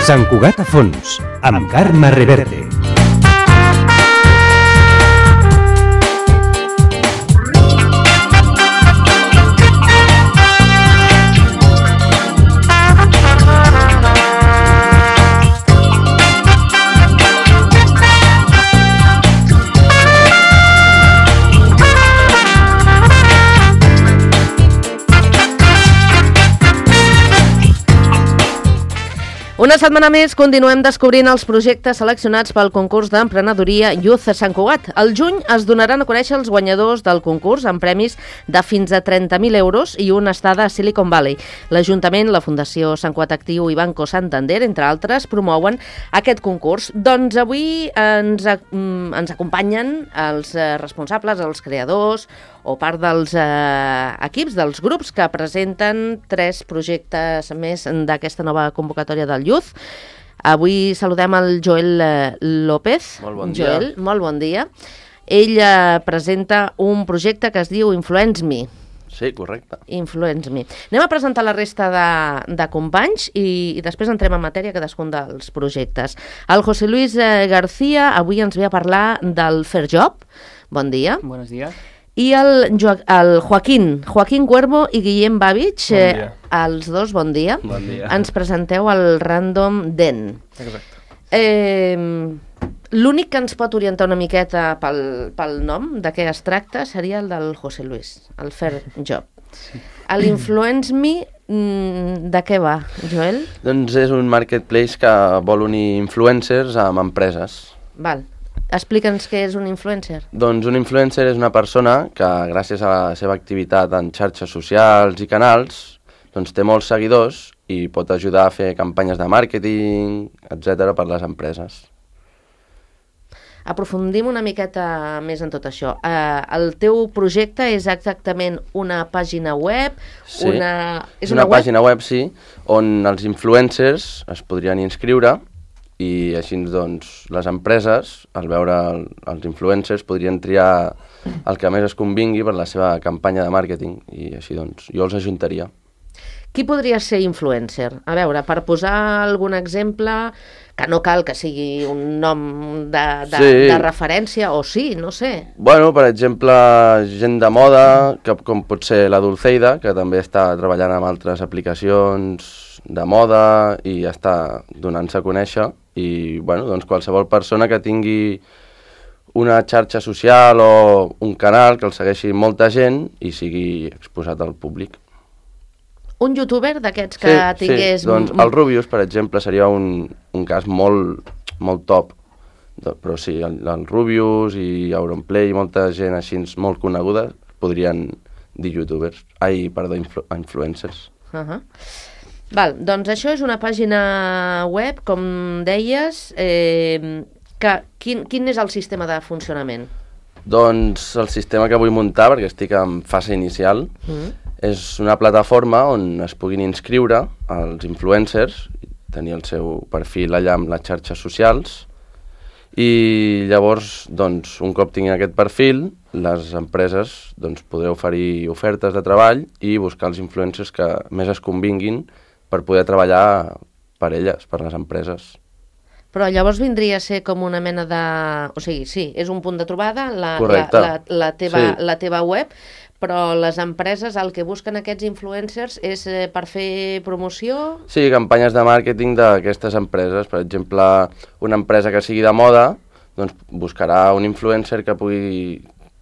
Sant Cugat a fons, amb Carme Reverte. Una setmana més continuem descobrint els projectes seleccionats pel concurs d'emprenedoria Youth a Sant Cugat. Al juny es donaran a conèixer els guanyadors del concurs amb premis de fins a 30.000 euros i una estada a Silicon Valley. L'Ajuntament, la Fundació Sant Cugat Actiu i Banco Santander, entre altres, promouen aquest concurs. Doncs avui ens acompanyen els responsables, els creadors o part dels equips, dels grups que presenten 3 projectes més d'aquesta nova convocatòria del Youth. Avui saludem el Joel López. Molt bon dia. Joel, molt bon dia. Ell presenta un projecte que es diu Influence Me. Sí, correcte. Influence Me. Anem a presentar la resta de companys i després entrem en matèria cadascun dels projectes. El José Luis García avui ens ve a parlar del Fair Job. Bon dia. Buenos días. I el Joaquín Cuervo i Guillem Babich, Bon dia. els dos, bon dia. Bon dia. Ens presenteu el Random Den. Exacte. L'únic que ens pot orientar una miqueta pel nom, de què es tracta, seria el del José Luis, el Fair Job. Sí. L'Influence Me, de què va, Joel? Doncs és un marketplace que vol unir influencers amb empreses. Val. Explica'ns què és un influencer. Doncs un influencer és una persona que, gràcies a la seva activitat en xarxes socials i canals, doncs té molts seguidors i pot ajudar a fer campanyes de màrqueting, etc. per les empreses. Aprofundim una miqueta més en tot això. El teu projecte és exactament una pàgina web? Sí, és una pàgina web, sí, on els influencers es podrien inscriure i així doncs les empreses, al veure els influencers, podrien triar el que més es convingui per la seva campanya de màrqueting i així doncs jo els ajuntaria. Qui podria ser influencer? A veure, per posar algun exemple, que no cal que sigui un nom de referència, o sí, no sé. Bueno, per exemple, gent de moda, com pot ser la Dulceida, que també està treballant amb altres aplicacions de moda i està donant-se a conèixer. I bueno, doncs qualsevol persona que tingui una xarxa social o un canal que el segueixi molta gent i sigui exposat al públic. Un youtuber d'aquests que tingués... Sí, doncs el Rubius, per exemple, seria un cas molt top. Però sí, el Rubius i Auronplay i molta gent així molt coneguda podrien dir youtubers. Influencers. Val, doncs això és una pàgina web, com deies, quin és el sistema de funcionament? Doncs el sistema que vull muntar, perquè estic en fase inicial, és una plataforma on es puguin inscriure els influencers, tenir el seu perfil allà amb les xarxes socials, i llavors, doncs, un cop tinguin aquest perfil, les empreses doncs, podreu oferir ofertes de treball i buscar els influencers que més es convinguin per poder treballar per elles, per les empreses. Però llavors vindria a ser com una mena de... O sigui, sí, és un punt de trobada, la teva web, però les empreses el que busquen aquests influencers és per fer promoció? Sí, campanyes de màrqueting d'aquestes empreses. Per exemple, una empresa que sigui de moda doncs buscarà un influencer que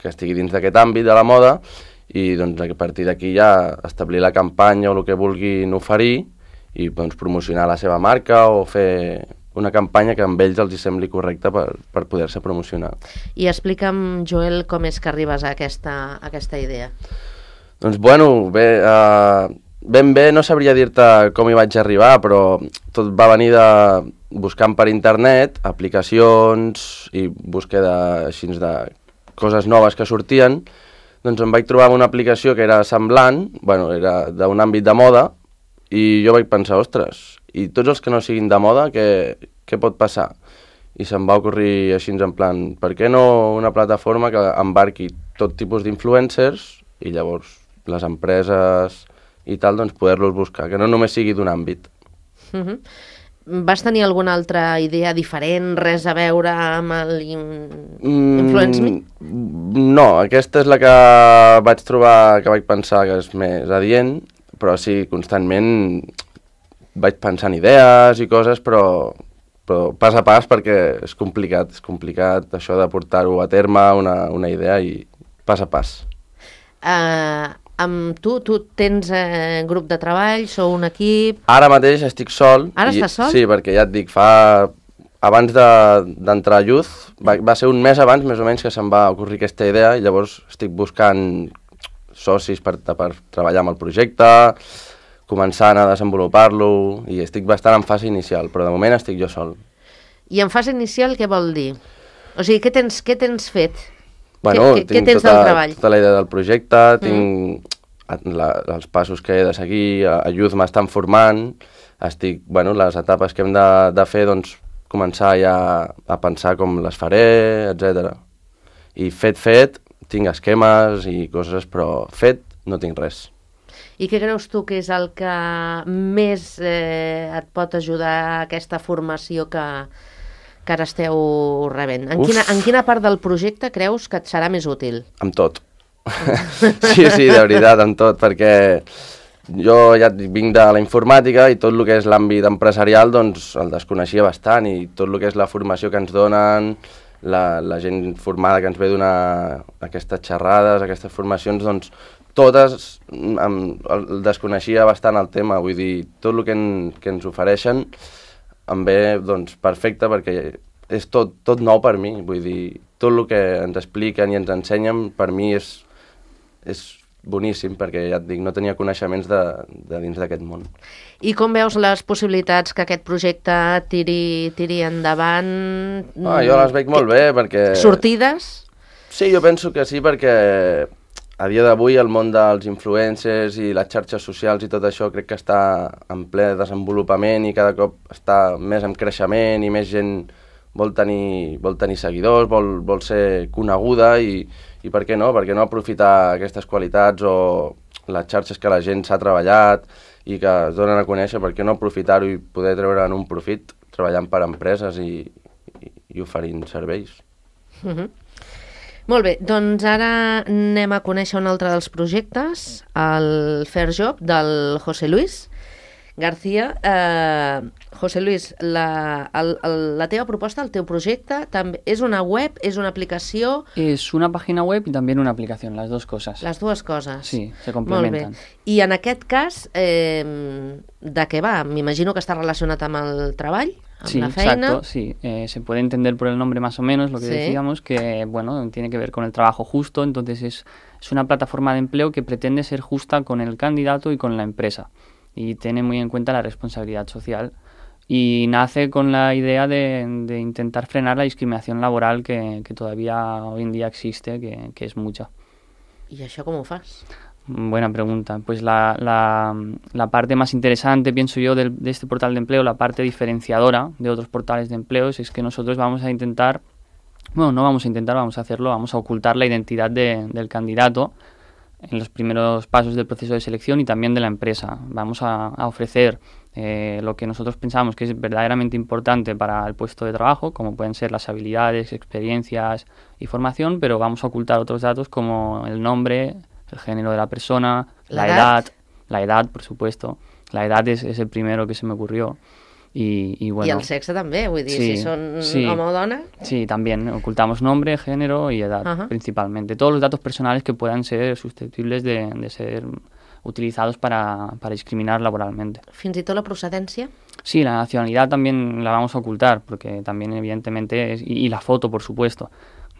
estigui dins d'aquest àmbit de la moda i doncs, a partir d'aquí ja establir la campanya o el que vulguin oferir i doncs, promocionar la seva marca o fer una campanya que amb ells els hi sembli correcta per poder-se promocionar. I explica'm, Joel, com és que arribes a aquesta idea. Doncs bueno, ben bé no sabria dir-te com hi vaig arribar, però tot va venir de buscant per internet aplicacions i búsqueda així de coses noves que sortien. Doncs em vaig trobar amb una aplicació que era semblant, bueno, era d'un àmbit de moda, i jo vaig pensar, ostres, i tots els que no siguin de moda, què pot passar? I se'm va ocorrir així en plan, per què no una plataforma que embarqui tot tipus d'influencers i llavors les empreses i tal, doncs poder-los buscar, que no només sigui d'un àmbit. Vas tenir alguna altra idea diferent, res a veure amb Influence Me? No, aquesta és la que vaig trobar, que vaig pensar que és més adient, però sí, constantment vaig pensant idees i coses, però pas a pas, perquè és complicat això de portar-ho a terme, una idea, i pas a pas. Amb tu tens grup de treball, sou un equip... Ara mateix estic sol. Ara estàs sol? Sí, perquè ja et dic, abans d'entrar a Youth, va ser un mes abans, més o menys, que se'm va ocorrir aquesta idea, i llavors estic buscant socis per treballar amb el projecte, començant a desenvolupar-lo, i estic bastant en fase inicial, però de moment estic jo sol. I en fase inicial què vol dir? O sigui, què tens fet? Bueno, què tens del treball? Tota la idea del projecte, tinc els passos que he de seguir, a Youth m'estan formant, les etapes que hem de fer, doncs, començar ja a pensar com les faré, etc. I fet, tinc esquemes i coses, però fet no tinc res. I què creus tu que és el que més et pot ajudar a aquesta formació que ara esteu rebent? En quina part del projecte creus que et serà més útil? Amb tot. Sí, de veritat, amb tot, perquè jo ja vinc de la informàtica i tot el que és l'àmbit empresarial doncs el desconeixia bastant, i tot el que és la formació que ens donen, la gent formada que ens ve donar aquestes xerrades, aquestes formacions, doncs totes el desconeixia bastant el tema, vull dir, tot el que ens ofereixen em ve doncs, perfecte, perquè és tot nou per mi, vull dir, tot el que ens expliquen i ens ensenyen per mi és boníssim, perquè ja et dic, no tenia coneixements de dins d'aquest món. I com veus les possibilitats que aquest projecte tiri endavant? Jo les veig molt bé, perquè... Sortides? Sí, jo penso que sí, perquè a dia d'avui el món dels influencers i les xarxes socials i tot això crec que està en ple desenvolupament i cada cop està més en creixement i més gent vol tenir seguidors, vol ser coneguda, i per què no? Per què no aprofitar aquestes qualitats o les xarxes que la gent s'ha treballat i que es donen a conèixer, per què no aprofitar-ho i poder treure'n un profit treballant per empreses i oferint serveis? Molt bé, doncs ara anem a conèixer un altre dels projectes, el Fair Job del José Luis García. José Luis, la teva proposta, el teu projecte, és una web, és una aplicació? Es una página web y también una aplicación, las dos cosas. Les dues coses. Sí, se complementan. Molt bé. I en aquest cas, de què va? M'imagino que està relacionat amb el treball? Sí, la feina. exacto, sí. Se puede entender por el nombre más o menos lo que decíamos, que bueno, tiene que ver con el trabajo justo, entonces es una plataforma de empleo que pretende ser justa con el candidato y con la empresa, y tiene muy en cuenta la responsabilidad social, y nace con la idea de intentar frenar la discriminación laboral que todavía hoy en día existe, que es mucha. ¿Y això com ho fas? Buena pregunta. Pues la parte más interesante, pienso yo, de este portal de empleo, la parte diferenciadora de otros portales de empleos, es que nosotros vamos a intentar, bueno, no vamos a intentar, vamos a hacerlo, vamos a ocultar la identidad del candidato en los primeros pasos del proceso de selección y también de la empresa. Vamos a ofrecer lo que nosotros pensamos que es verdaderamente importante para el puesto de trabajo, como pueden ser las habilidades, experiencias y formación, pero vamos a ocultar otros datos como el nombre, el género de la persona, la edad, por supuesto. La edad es el primero que se me ocurrió. Y bueno, y el sexe també, vull dir, si son home o dona. Sí, también ocultamos nombre, género y edad, principalmente. Todos los datos personales que puedan ser susceptibles de ser utilizados para discriminar laboralmente. Fins i tot la procedència? Sí, la nacionalidad también la vamos a ocultar, porque también evidentemente, y la foto, por supuesto.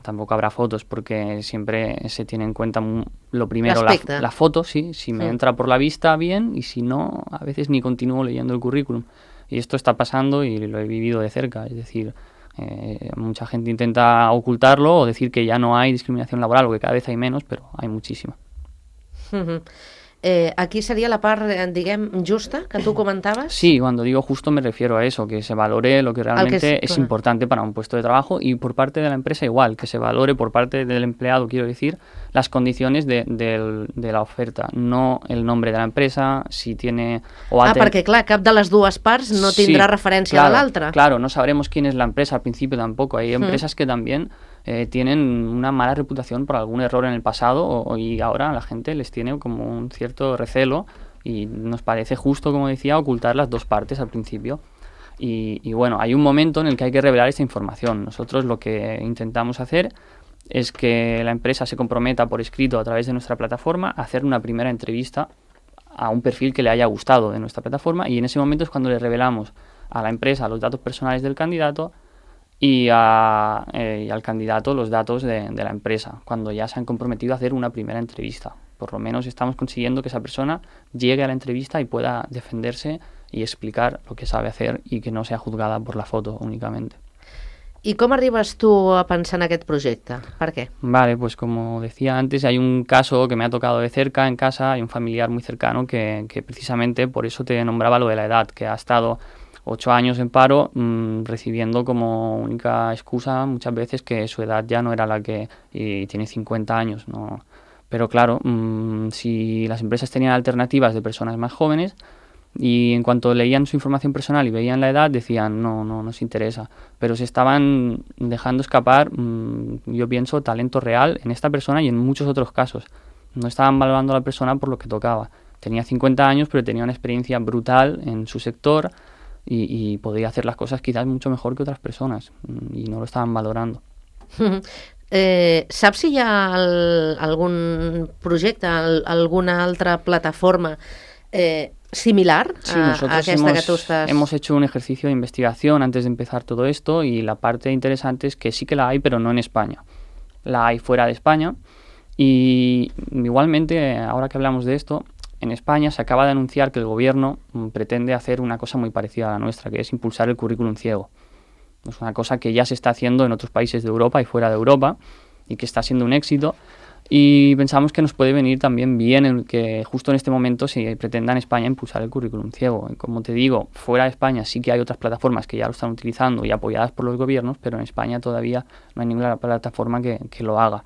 Tampoco habrá fotos porque siempre se tiene en cuenta lo primero, la foto, sí, si me entra por la vista, bien, y si no, a veces ni continúo leyendo el currículum. Y esto está pasando y lo he vivido de cerca, es decir, mucha gente intenta ocultarlo o decir que ya no hay discriminación laboral o que cada vez hay menos, pero hay muchísima. Aquí seria la part, diguem, justa que tu comentaves? Sí, cuando digo justo me refiero a eso, que se valore lo que realmente es importante para un puesto de trabajo, y por parte de la empresa igual, que se valore por parte del empleado, quiero decir, las condiciones de la oferta, no el nombre de la empresa, si tiene... perquè clar, cap de les dues parts no tindrà referència a l'altra. Claro, no sabremos quién es la empresa al principio tampoco. Hay empresas que también tienen una mala reputación por algún error en el pasado y ahora la gente les tiene como un cierto recelo y nos parece justo, como decía, ocultar las dos partes al principio. Y bueno, hay un momento en el que hay que revelar esta información. Nosotros lo que intentamos hacer es que la empresa se comprometa por escrito a través de nuestra plataforma a hacer una primera entrevista a un perfil que le haya gustado de nuestra plataforma, y en ese momento es cuando le revelamos a la empresa los datos personales del candidato y al candidato los datos de la empresa, cuando ya se han comprometido a hacer una primera entrevista. Por lo menos estamos consiguiendo que esa persona llegue a la entrevista y pueda defenderse y explicar lo que sabe hacer y que no sea juzgada por la foto únicamente. ¿Y cómo arribas tú a pensar en aquest projecte? ¿Por qué? Vale, pues como decía antes, hay un caso que me ha tocado de cerca en casa, hay un familiar muy cercano que precisamente por eso te nombraba lo de la edad, que ha estado 8 años en paro, recibiendo como única excusa muchas veces que su edad ya no era la que... y tiene 50 años, ¿no? Pero claro, si las empresas tenían alternativas de personas más jóvenes, y en cuanto leían su información personal y veían la edad, decían, no nos interesa. Pero se estaban dejando escapar, yo pienso, talento real en esta persona y en muchos otros casos. No estaban valorando a la persona por lo que tocaba. Tenía 50 años, pero tenía una experiencia brutal en su sector y podía hacer las cosas quizás mucho mejor que otras personas, y no lo estaban valorando. Saps si hi ha algun projecte, alguna altra plataforma similar a aquesta que tú estás? Hemos hecho un ejercicio de investigación antes de empezar todo esto, y la parte interesante es que sí que la hay, pero no en España. La hay fuera de España, y igualmente, ahora que hablamos de esto, en España se acaba de anunciar que el gobierno pretende hacer una cosa muy parecida a la nuestra, que es impulsar el currículum ciego. Es una cosa que ya se está haciendo en otros países de Europa y fuera de Europa, y que está siendo un éxito. Y pensamos que nos puede venir también bien el que justo en este momento se pretenda en España impulsar el currículum ciego. Y como te digo, fuera de España sí que hay otras plataformas que ya lo están utilizando y apoyadas por los gobiernos, pero en España todavía no hay ninguna plataforma que lo haga.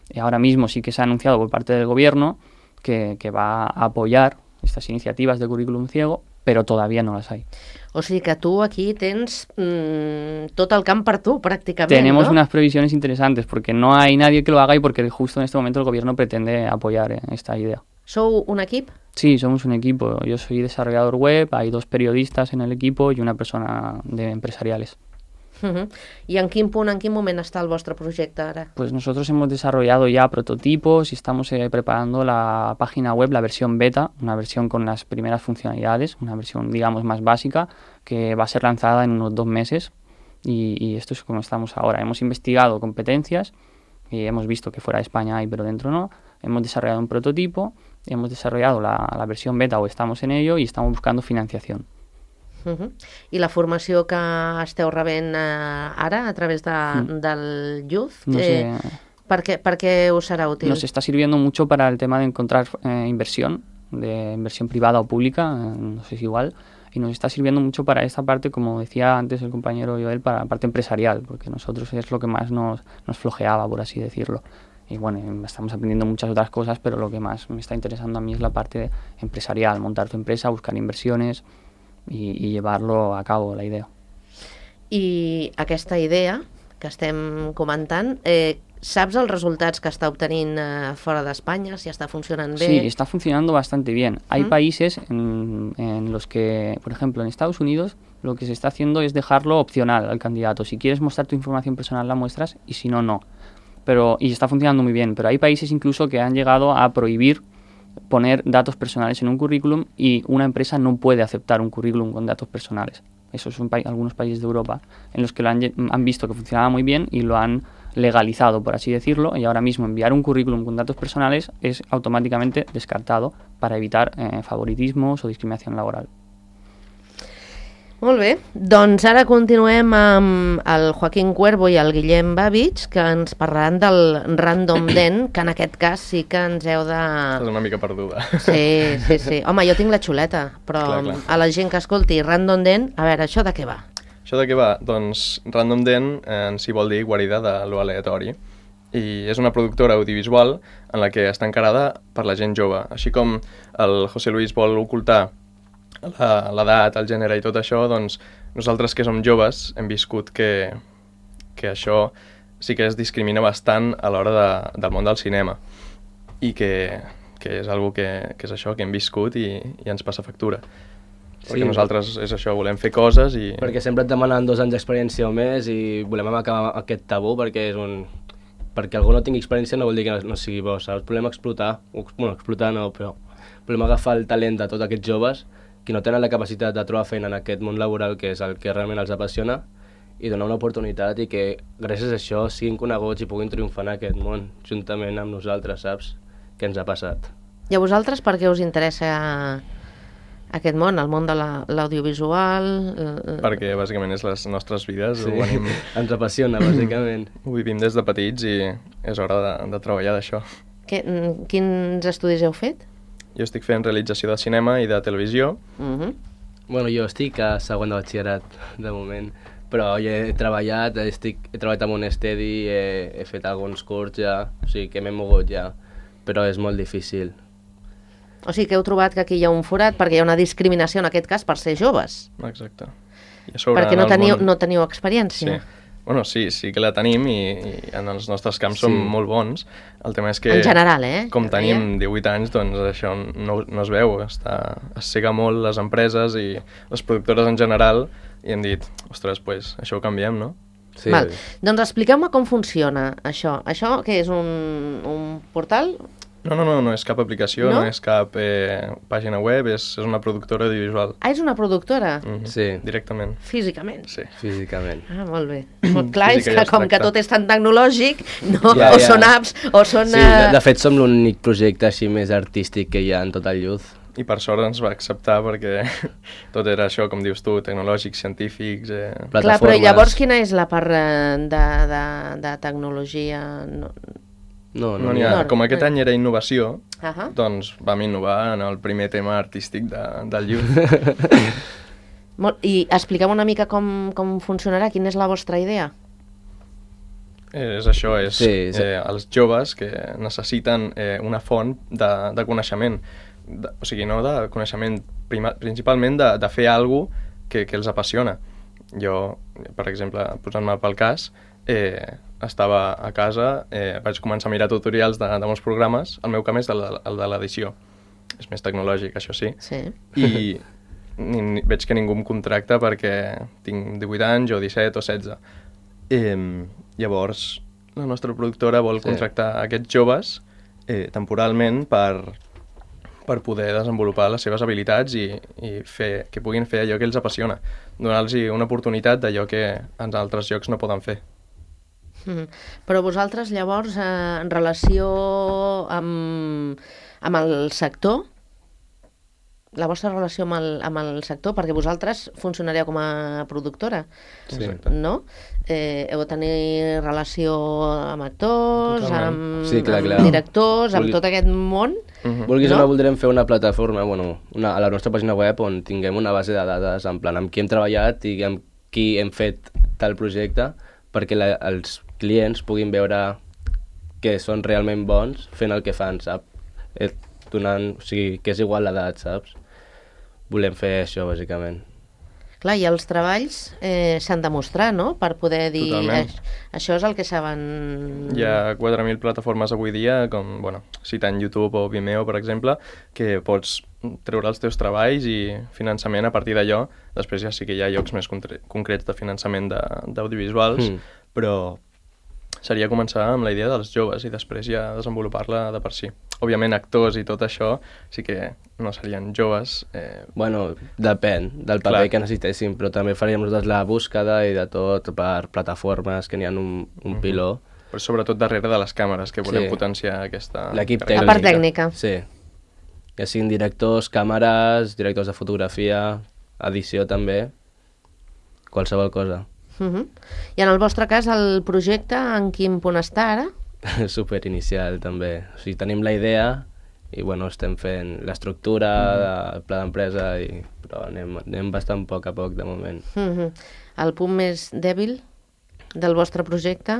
Y ahora mismo sí que se ha anunciado por parte del gobierno que va a apoyar estas iniciativas de currículum ciego, pero todavía no las hay. O sigui que tú aquí tens tot el camp per tu, prácticamente. Tenemos ¿no? unas previsiones interesantes, porque no hay nadie que lo haga y porque justo en este momento el gobierno pretende apoyar esta idea. ¿Sou un equip? Sí, somos un equipo. Yo soy desarrollador web, hay 2 periodistas en el equipo y una persona de empresariales. ¿Y en quin punt, en quin moment està el vostre projecte ara? Pues nosotros hemos desarrollado ya prototipos y estamos preparando la página web, la versión beta, una versión con las primeras funcionalidades, una versión, digamos, más básica, que va a ser lanzada en unos 2 meses, y esto es como estamos ahora. Hemos investigado competencias y hemos visto que fuera de España hay, pero dentro no. Hemos desarrollado un prototipo, hemos desarrollado la versión beta, o estamos en ello, y estamos buscando financiación. I la formació que esteu rebent ara a través del Youth, no sé, per què us serà útil? Nos está sirviendo mucho para el tema de encontrar inversión, de inversión privada o pública, no sé si igual, y nos está sirviendo mucho para esta parte, como decía antes el compañero Joel, para la parte empresarial, porque nosotros es lo que más nos flojeaba, por así decirlo. Y bueno, estamos aprendiendo muchas otras cosas, pero lo que más me está interesando a mí es la parte empresarial, montar tu empresa, buscar inversiones y llevarlo a cabo, la idea. I aquesta idea que estem comentant, saps els resultats que està obtenint fora d'Espanya, si està funcionant bé? Sí, está funcionando bastante bien. Hay países en los que, por ejemplo, en Estados Unidos, lo que se está haciendo es dejarlo opcional al candidato. Si quieres mostrar tu información personal, la muestras, y si no, no. Y está funcionando muy bien. Pero hay países incluso que han llegado a prohibir poner datos personales en un currículum, y una empresa no puede aceptar un currículum con datos personales. Esos son algunos países de Europa en los que lo han visto que funcionaba muy bien y lo han legalizado, por así decirlo, y ahora mismo enviar un currículum con datos personales es automáticamente descartado para evitar favoritismos o discriminación laboral. Molt bé, doncs ara continuem amb el Joaquín Cuervo i el Guillem Babich, que ens parlaran del Random Den, que en aquest cas sí que ens heu de... Estàs una mica perduda. Sí. Home, jo tinc la xuleta, però Clar. a la gent que escolti Random Den, a veure, això de què va? Això de què va? Doncs Random Den en si vol dir guarida de lo aleatori. I és una productora audiovisual en la que està encarada per la gent jove. Així com el José Luis vol ocultar l'edat, el gènere i tot això, doncs nosaltres que som joves hem viscut que això sí que es discrimina bastant a l'hora del món del cinema i que és algo que és això, que hem viscut i ens passa factura. Perquè nosaltres és això, volem fer coses i... Perquè sempre et demanen 2 anys d'experiència o més i volem acabar aquest tabú perquè perquè algú no tingui experiència no vol dir que no sigui bo, saps? Volem explotar, explotar no, però volem agafar el talent de tots aquests joves que no tenen la capacitat de trobar feina en aquest món laboral, que és el que realment els apassiona, i donar una oportunitat i que gràcies a això siguin coneguts i puguin triomfar en aquest món, juntament amb nosaltres, saps? Què ens ha passat. I a vosaltres per què us interessa aquest món, el món de l'audiovisual? Perquè bàsicament és les nostres vides, Sí, ens apassiona, bàsicament. ho vivim des de petits i és hora de treballar d'això. Quins estudis heu fet? Jo estic fent realització de cinema i de televisió. Bueno, jo estic a segon de batxillerat, de moment, però jo he treballat amb un estedi, he fet alguns curts ja, o sigui que m'he mogut ja, però és molt difícil. O sigui que heu trobat que aquí hi ha un forat perquè hi ha una discriminació en aquest cas per ser joves. Exacte. I a sobre, Perquè no teniu experiència. Sí. Bueno, sí que la tenim i en els nostres camps som molt bons. El tema és que... En general, Com tenim 18 anys, doncs això no es veu. Es cega molt les empreses i les productores en general i hem dit, ostres, pues, això ho canviem, no? Sí. Val. Doncs expliqueu-me com funciona això. Això què és, un portal? No és cap aplicació, No? no és cap pàgina web, és una productora audiovisual. Ah, és una productora? Sí, Directament. Físicament? Sí. físicament. Ah, molt bé. Molt clar, és Física que ja es com que tracta. tot és tan tecnològic, no? Ja, O ja. són apps, o són... Sí, de fet som l'únic projecte així més artístic que hi ha en tot el Youth. I per sort ens va acceptar perquè tot era això, com dius tu, tecnològics, científics... Clar, però llavors quina és la part de tecnologia? No n'hi ha. Com aquest any era innovació, Ahà. doncs vam innovar en el primer tema artístic del Youth. I expliquem una mica com funcionarà, quina és la vostra idea? És això, Sí. els joves que necessiten una font de coneixement, o sigui, no de coneixement, principalment de fer alguna cosa que els apassiona. Jo, per exemple, posant-me pel cas, estava a casa, vaig començar a mirar tutorials de molts programes, el meu camp és el de l'edició, és més tecnològic, això sí, Sí. i veig que ningú em contracta perquè tinc 18 anys o 17 o 16. Llavors, la nostra productora vol contractar aquests joves temporalment per poder desenvolupar les seves habilitats i que puguin fer allò que els apassiona, donar-los una oportunitat d'allò que en altres llocs no poden fer. Però vosaltres llavors en relació amb el sector, la vostra relació amb el sector, perquè vosaltres funcionareu com a productora, no? Heu de tenir relació amb actors, amb directors, amb tot aquest món. Vulguis o no, voldrem fer una plataforma, a la nostra pàgina web on tinguem una base de dades en plan amb qui hem treballat i amb qui hem fet tal projecte perquè els clients puguin veure que són realment bons fent el que fan, saps? O sigui, que és igual l'edat, saps? Volem fer això, bàsicament. Clar, i els treballs s'han de mostrar, no?, per poder dir això és el que saben... Hi ha 4.000 plataformes avui dia, com, citant YouTube o Vimeo, per exemple, que pots treure els teus treballs i finançament a partir d'allò. Després ja sí que hi ha llocs més concrets de finançament d'audiovisuals, però seria començar amb la idea dels joves i després ja desenvolupar-la de per si. Òbviament, actors i tot això sí que no serien joves. Depèn del paper que necessitéssim, però també faríem nosaltres la búsqueda i de tot per plataformes que n'hi ha un piló. Però sobretot darrere de les càmeres, que volem potenciar aquesta... L'equip tècnic. La part tècnica. Sí. Ja siguin directors, càmeres, directors de fotografia, edició també, qualsevol cosa. I en el vostre cas, el projecte en quin punt està ara? Super inicial també. O sigui, tenim la idea i bueno, estem fent l'estructura, el pla d'empresa, però anem bastant a poc de moment. El punt més dèbil del vostre projecte?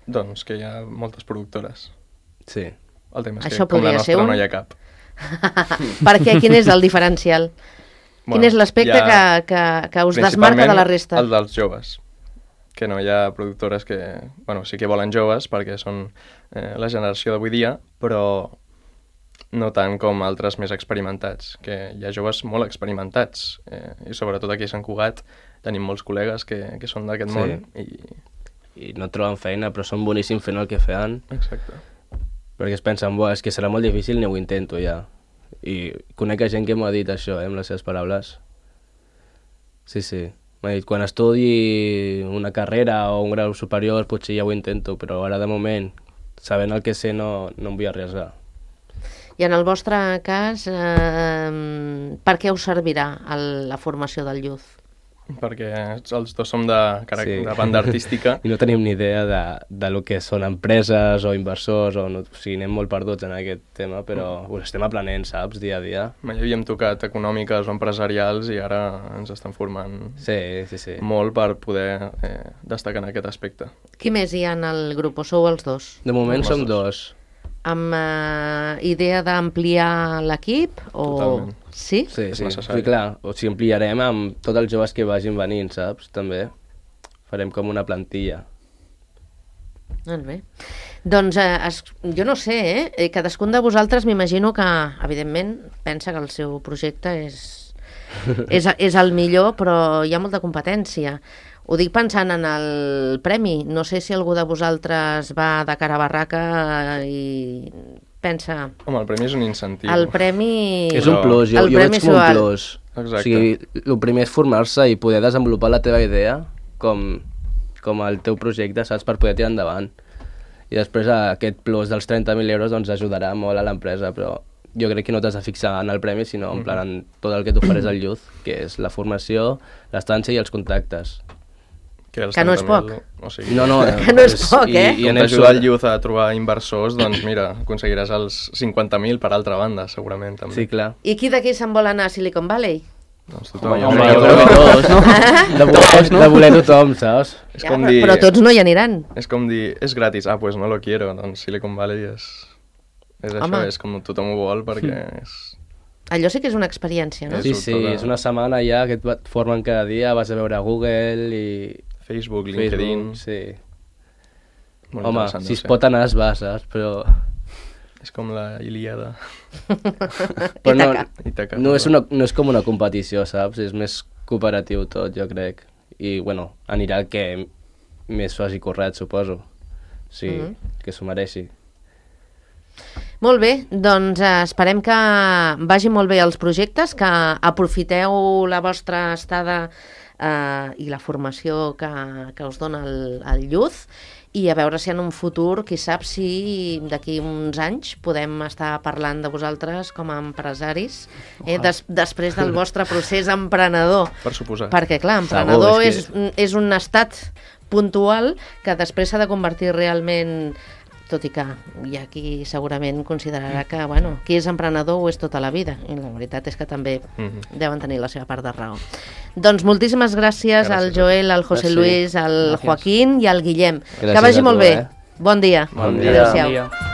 Doncs que hi ha moltes productores. Sí. El tema és Això que com la podria ser nostra un? no hi ha cap. Per què? Quin és el diferencial? Quin és l'aspecte que us desmarca de la resta? El dels joves. Que no hi ha productores que... Bueno, sí que volen joves perquè són la generació d'avui dia, però no tant com altres més experimentats, que hi ha joves molt experimentats. I sobretot aquí a Sant Cugat tenim molts col·legues que són d'aquest món i no troben feina, però són boníssims fent el que feien. Exacte. Perquè es pensen, és que serà molt difícil, ni ho intento ja. I conec gent que m'ho ha dit això, amb les seves paraules. Sí. M'ha dit, quan estudi una carrera o un grau superior potser ja ho intento, però ara de moment, sabent el que sé, no em vull arriesgar. I en el vostre cas, per què us servirà la formació del Youth? Perquè els dos som de banda artística. I no tenim ni idea de lo que són empreses o inversors, o sigui, anem molt perduts en aquest tema, però ho estem aprenent, saps, dia a dia. Mai havíem tocat econòmiques o empresarials i ara ens estan formant molt per poder destacar en aquest aspecte. Qui més hi ha en el grup, o sou els dos? De moment som dos. Amb idea d'ampliar l'equip? Totalment. Sí? Sí, necessari. Clar, o sigui, ampliarem amb tots els joves que vagin venint, saps? També farem com una plantilla. Molt bé. Doncs jo no sé, cadascun de vosaltres m'imagino que, evidentment, pensa que el seu projecte és el millor, però hi ha molta competència. Ho dic pensant en el premi. No sé si algú de vosaltres va de cara a barraca i pensa... Home, el premi és un incentiu. El premi... És un plus, jo veig com un plus. Exacte. O sigui, el primer és formar-se i poder desenvolupar la teva idea com el teu projecte, saps, per poder tirar endavant. I després aquest plus dels 30.000 euros doncs ajudarà molt a l'empresa, però jo crec que no t'has de fixar en el premi, sinó en plan en tot el que t'ofereix el Youth, que és la formació, l'estància i els contactes. Que no és poc. O sigui, no, que no és poc, I com t'ajuda el Youth a trobar inversors, doncs mira, aconseguiràs els 50.000 per altra banda, segurament, també. Sí, clar. I qui d'aquí se'n vol anar a Silicon Valley? Doncs tothom. Home, jo crec que tots, no? De voler tothom, saps? És com dir... Però tots no hi aniran. És com dir, és gratis, pues no lo quiero, doncs Silicon Valley és això, és com tothom ho vol perquè és... Allò sí que és una experiència, no? Sí, és una setmana ja que et formen cada dia, vas a veure Google i... Facebook, LinkedIn... Sí. Molt home, si es pot anar es va, saps? Però... És com la Ilíada. Però Ítaca. No és com una competició, saps? És més cooperatiu tot, jo crec. I, bueno, anirà el que més faci corret, suposo. Sí, que s'ho mereixi. Molt bé, doncs esperem que vagin molt bé els projectes, que aprofiteu la vostra estada i la formació que us dona el Youth, i a veure si en un futur, qui sap si d'aquí uns anys podem estar parlant de vosaltres com a empresaris, després del vostre procés emprenedor. Per suposar. Perquè, clar, emprenedor és un estat puntual que després s'ha de convertir realment... Tot i que hi ha qui segurament considerarà que, bueno, qui és emprenedor ho és tota la vida. I la veritat és que també deuen tenir la seva part de raó. Doncs moltíssimes gràcies al Joel, al José Luis, al Joaquín i al Guillem. Que vagi molt bé. Bon dia. Bon dia. Adéu-siau.